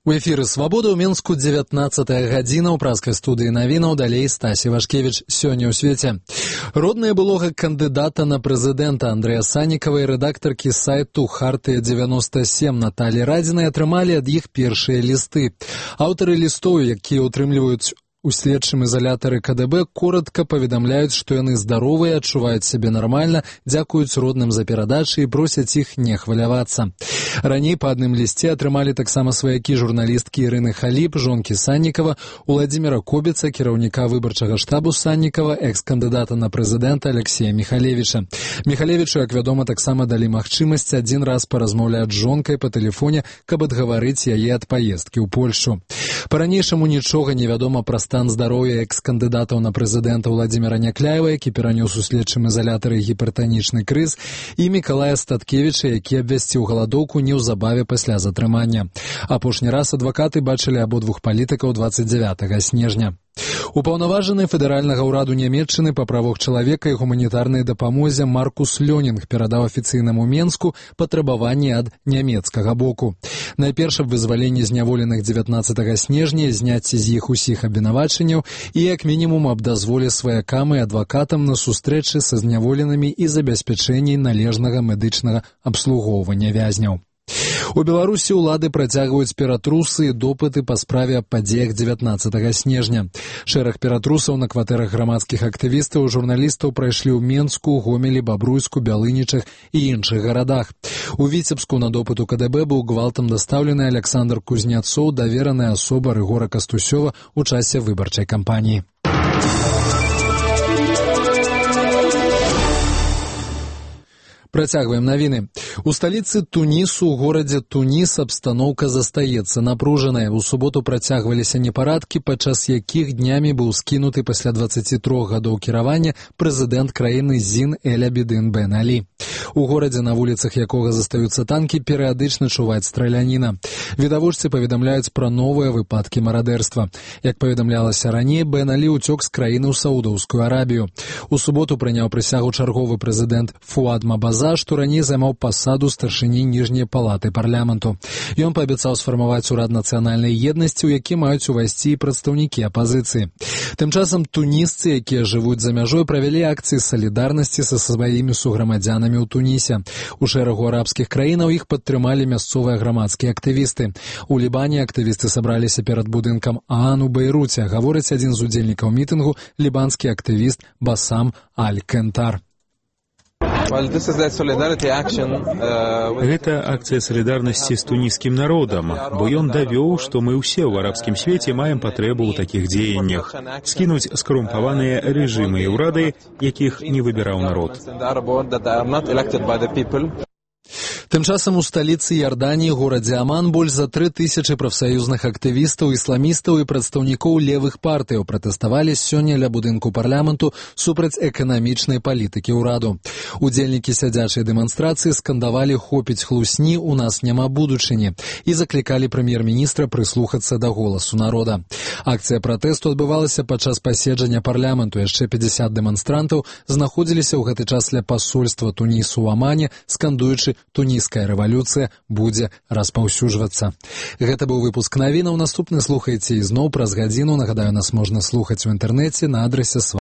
У эфіры «Свабода» ў Мінску 19-я гадзіна ў праскай студыі навінаў, далей Стасі Вашкевіч. Сёння ў свеце. Родная былога кандыдата на прэзідэнта Андрэя Саннікава і рэдактаркі сайту «Хартыя-97» Наталі Радзінай атрымалі ад іх першыя лісты. Аўтары лістоў, якія ўтрымліваюць у следчым изолятары КДБ, коротко паведамляюць, што яны здаровыя, адчуваюць сябе нармальна, дзякуюць родным за перадачы і просяць іх не хвалявацца. Раней па адным лісце атрымалі таксама сваякі журналісткі Ірыны Халіп, жонкі Саннікава, Уладзіміра Кобіца, кіраўніка выбарчага штабу Саннікава, экс-кандыдата на прэзідэнта Алексея Михалевіча. Михалевічу, як вядома, таксама далі магчымасць адзін раз паразмаўляць з жонкай па тэлефоне, каб адгаварыць яе ад паездкі ў Польшу. Па-ранейшаму нічога не вядома пра стан здароўя экс-кандыдатаў на прэзідэнта Владзіміра Някляева, які перанёс у следчым изолятары гіпертанічны крыз, і Мікалая Статкевіча, які абвясціў галадоўку неўзабаве пасля затрымання. Апошні раз адвакаты бачылі абодвух палітыкаў 29 снежня. Упаўнаважаны федэральнага ўраду Нямецчыны па правах чалавека і гуманітарнай дапамозе Маркус Лёнінг перадаў афіцыйнаму Менску патрабаванні ад нямецкага боку. Найперш аб вызваленні зняволеных 19 снежня, зняцці з іх усіх абвінавачанняў і як мінімум аб дазволе сваякам і адвакатам на сустрэчы са зняволенымі і забеспячэнні належнага медычнага абслугоўвання вязняў. У Беларусі ўлады працягваюць ператрусы і допыты па справе аб падзеях 19 снежня. Шэраг ператрусаў на кватэрах грамадскіх актывістаў і журналістаў прайшлі ў Менску, Гомелі, Бабруйску, Бялынічах і іншых гарадах. У Віцебску на допыт у КДБ быў гвалтам дастаўлены Александр Кузняцоў, давераная асоба Рыгора Кастусёва ў часе выбарчай кампаніі. Працягваем навіны. У сталіцы Тунісу, у горадзе Туніс, абстаноўка застаецца напружаная. У суботу працягваліся непарадкі, падчас якіх днямі быў скінуты пасля 23 гадоў кіравання прэзідэнт краіны Зін Эль-Абідын Бен Алі. У горадзе, на вуліцах якога застаюцца танкі, перыядычна чуваць страляніна. Відавочцы паведамляюць пра новыя выпадкі марадэрства. Як паведамлялася раней, Бен Алі ўцёк з краіны ў Саудаўскую Арабію. У суботу прыняў прысягу чарговы прэзідэнт Фуад Мабаза, што раней займаў пасаду старшыні ніжняй палаты парламенту. Ён паабяцаў сфармаваць урад нацыянальнай еднасці, у які маюць увайсці і прадстаўнікі апазіцыі. Тым часам тунісцы, якія жывуць за мяжой, правялі акцыі салідарнасці са сваімі суграмадзянамі ў Тунісе. У шэрагу арабскіх краінаў іх падтрымалі мясцовыя грамадскія актывісты. У Лібане актывісты сабраліся перад будынкам ААН у Бейруце, гаворыць адзін з удзельнікаў мітынгу, лібанскі актывіст Басам Аль-Кентар. Гэта акцыя салідарнасці з туніскім народам, бо ён давёў, што мы ўсе ў арабскім свеце маем патрэбу ў такіх дзеяннях. Скінуць скарумпаваныя рэжымы і ўрады, якіх не выбіраў народ. Тым часам у сталіцы Іорданіі, горадзе Аман, больш за 3000 прафсаюзных актывістаў, ісламістаў і прадстаўнікоў левых партыяў пратэставалі сёння ля будынку парламенту супраць эканамічнай палітыкі ўраду. Удзельнікі сядзячай дэманстрацыі скандавалі «Хопіць хлусні, у нас няма будучыні» і заклікалі прэм'ер-міністра прыслухацца да голасу народа. Акцыя пратэсту адбывалася падчас паседжання парламенту. Яшчэ 50 дэманстрантаў знаходзіліся ў гэты час ля пасольства Тунісу ў Амане, скандуючы «Туніская рэвалюцыя будзе распаўсюджвацца». Гэта быў выпуск навінаў. Наступны слухайце ізноў праз гадзіну. Нагадаю, нас можна слухаць у інтэрнэце на адрасе